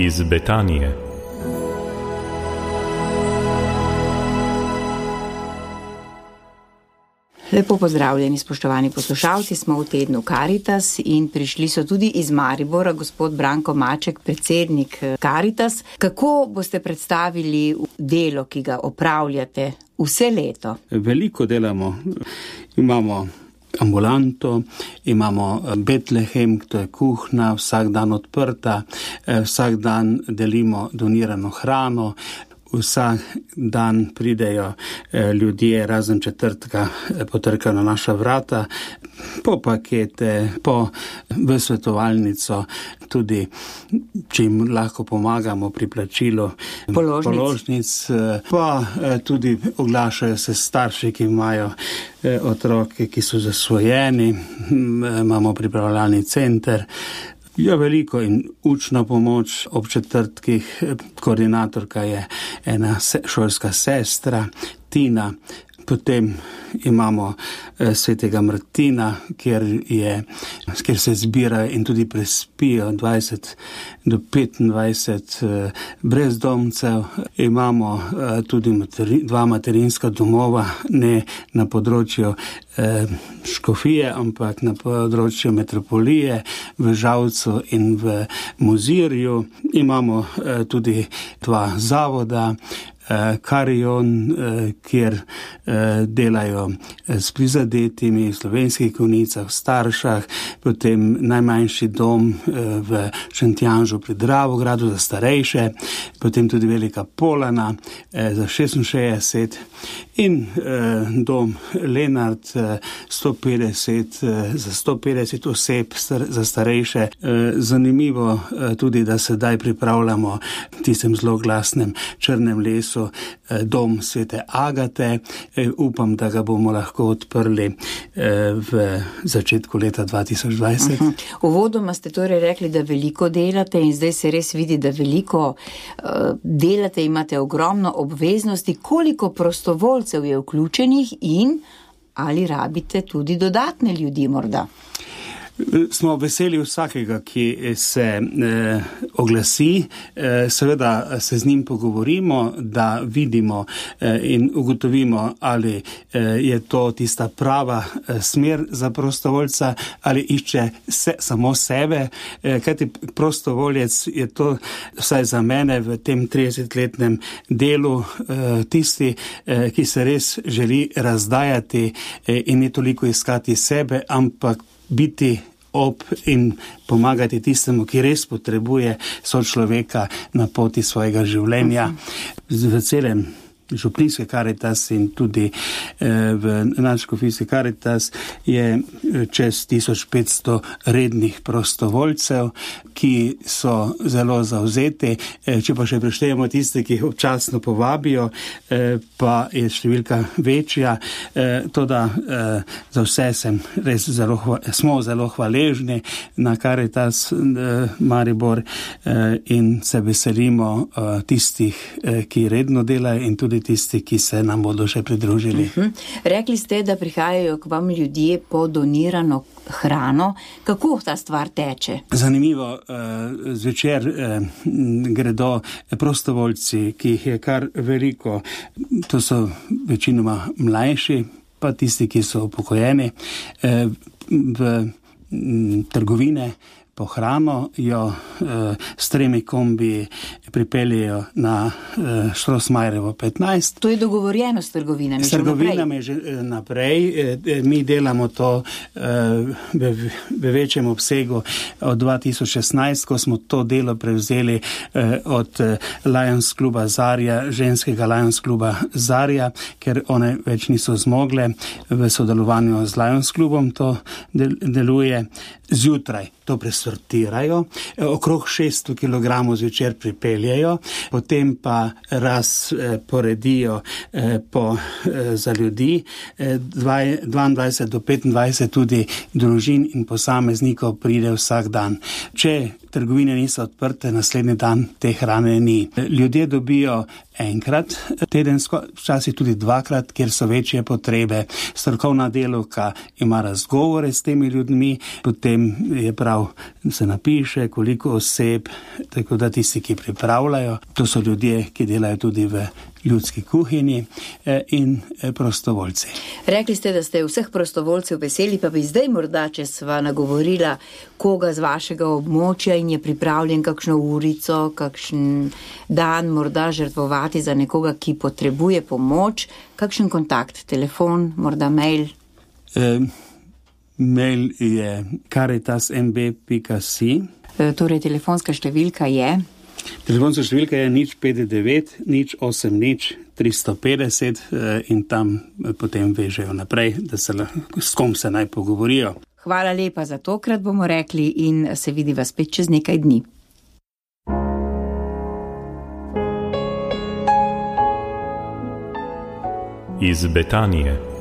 iz Betanije. Lepo pozdravljeni, spoštovani poslušalci, smo v tednu Karitas in prišli so tudi iz Maribora gospod Branko Maček, predsednik Karitas. Kako boste predstavili delo, ki ga opravljate vse leto? Veliko delamo. Imamo ambulanto, imamo Betlehem, to je kuhna, vsak dan odprta, vsak dan delimo donirano hrano. Vsak dan pridejo ljudje, razen četrtka, potrkajo na naša vrata, po pakete, v svetovalnico, tudi če jim lahko pomagamo pri plačilu položnic, pa tudi oglašajo se starši, ki imajo otroke, ki so zasvojeni, imamo pripravljalni center. Ja, veliko in učna pomoč ob četrtkih, koordinatorka je ena šolska sestra, Tina, potem imamo svetega Martina, kjer se zbirajo in tudi prespijo 20 do 25 brezdomcev. Imamo tudi dva materinska domova, ne na področju Škofije, ampak na področju metropolije v Žalcu in v Mozirju. Imamo tudi dva zavoda, Karion, kjer delajo s prizadetimi v Slovenskih Konjicah, v Staršah, potem najmanjši dom v Šentjanžu pri Dravogradu za starejše, potem tudi Velika Polana za 66 in dom Lenart 150 za 150 oseb za starejše. Zanimivo tudi, da sedaj pripravljamo v tistem zloglasnem Črnem lesu dom Svete Agate. Upam, da ga bomo lahko odprli v začetku leta 2020. Uvodoma ste torej rekli, da veliko delate in zdaj se res vidi, da veliko delate, imate ogromno obveznosti. Koliko prostovoljcev je vključenih in ali rabite tudi dodatne ljudi morda? Smo veseli vsakega, ki se oglasi, seveda se z njim pogovorimo, da vidimo in ugotovimo, ali je to tista prava smer za prostovoljca ali išče samo sebe, kajti prostovoljec je to, vsaj za mene v tem 30-letnem delu, tisti, ki se res želi razdajati in ne toliko iskati sebe, ampak biti ob in pomagati tistemu, ki res potrebuje sočloveka na poti svojega življenja. V celem župnijske Karitas in tudi v nadškofijski Karitas je čez 1500 rednih prostovoljcev, ki so zelo zavzeti. Če pa še preštejemo tiste, ki jih občasno povabijo, pa je številka večja. Toda za vse smo zelo hvaležni na Karitas Maribor in se veselimo tistih, ki redno delajo in tudi tisti, ki se nam bodo še pridružili. Rekli ste, da prihajajo k vam ljudje po donirano hrano. Kako ta stvar teče? Zanimivo, zvečer gredo prostovoljci, ki jih je kar veliko. To so večinoma mlajši, pa tisti, ki so upokojeni, v trgovine po hrano jo s 3 kombi pripeljejo na Štrosmajerjevo 15. To je dogovorjeno s trgovinami? S trgovinami že naprej. Mi delamo to v večjem obsegu od 2016, ko smo to delo prevzeli od Lions kluba Zarja, ženskega Lions kluba Zarja, ker one več niso zmogle. V sodelovanju z Lions klubom to deluje. Zjutraj to presortirajo, okrog 600 kg zvečer pripeljejo, potem pa poredijo za ljudi, 22 do 25 tudi družin in posameznikov pride vsak dan. Če trgovine niso odprte, naslednji dan te hrane ni. Ljudje dobijo enkrat tedensko, včasih tudi dvakrat, kjer so večje potrebe. Strokovna delavka ima razgovore s temi ljudmi, potem je prav, se napiše, koliko oseb, tako da tisti, ki pripravljajo, to so ljudje, ki delajo tudi v ljudski kuhinji in prostovoljci. Rekli ste, da ste vseh prostovoljcev veseli, pa bi zdaj morda, če sva nagovorila koga z vašega območja in je pripravljen kakšno urico, kakšen dan morda žrtvovati za nekoga, ki potrebuje pomoč, kakšen kontakt, telefon, morda mail? Mail je caritasmb.si. Torej, telefonska številka je? Telefonska številka je 059 080 350 in tam potem vežejo naprej, da se s kom se naj pogovorijo. Hvala lepa za tokrat, bomo rekli, in se vidiva spet čez nekaj dni. Iz Betanije.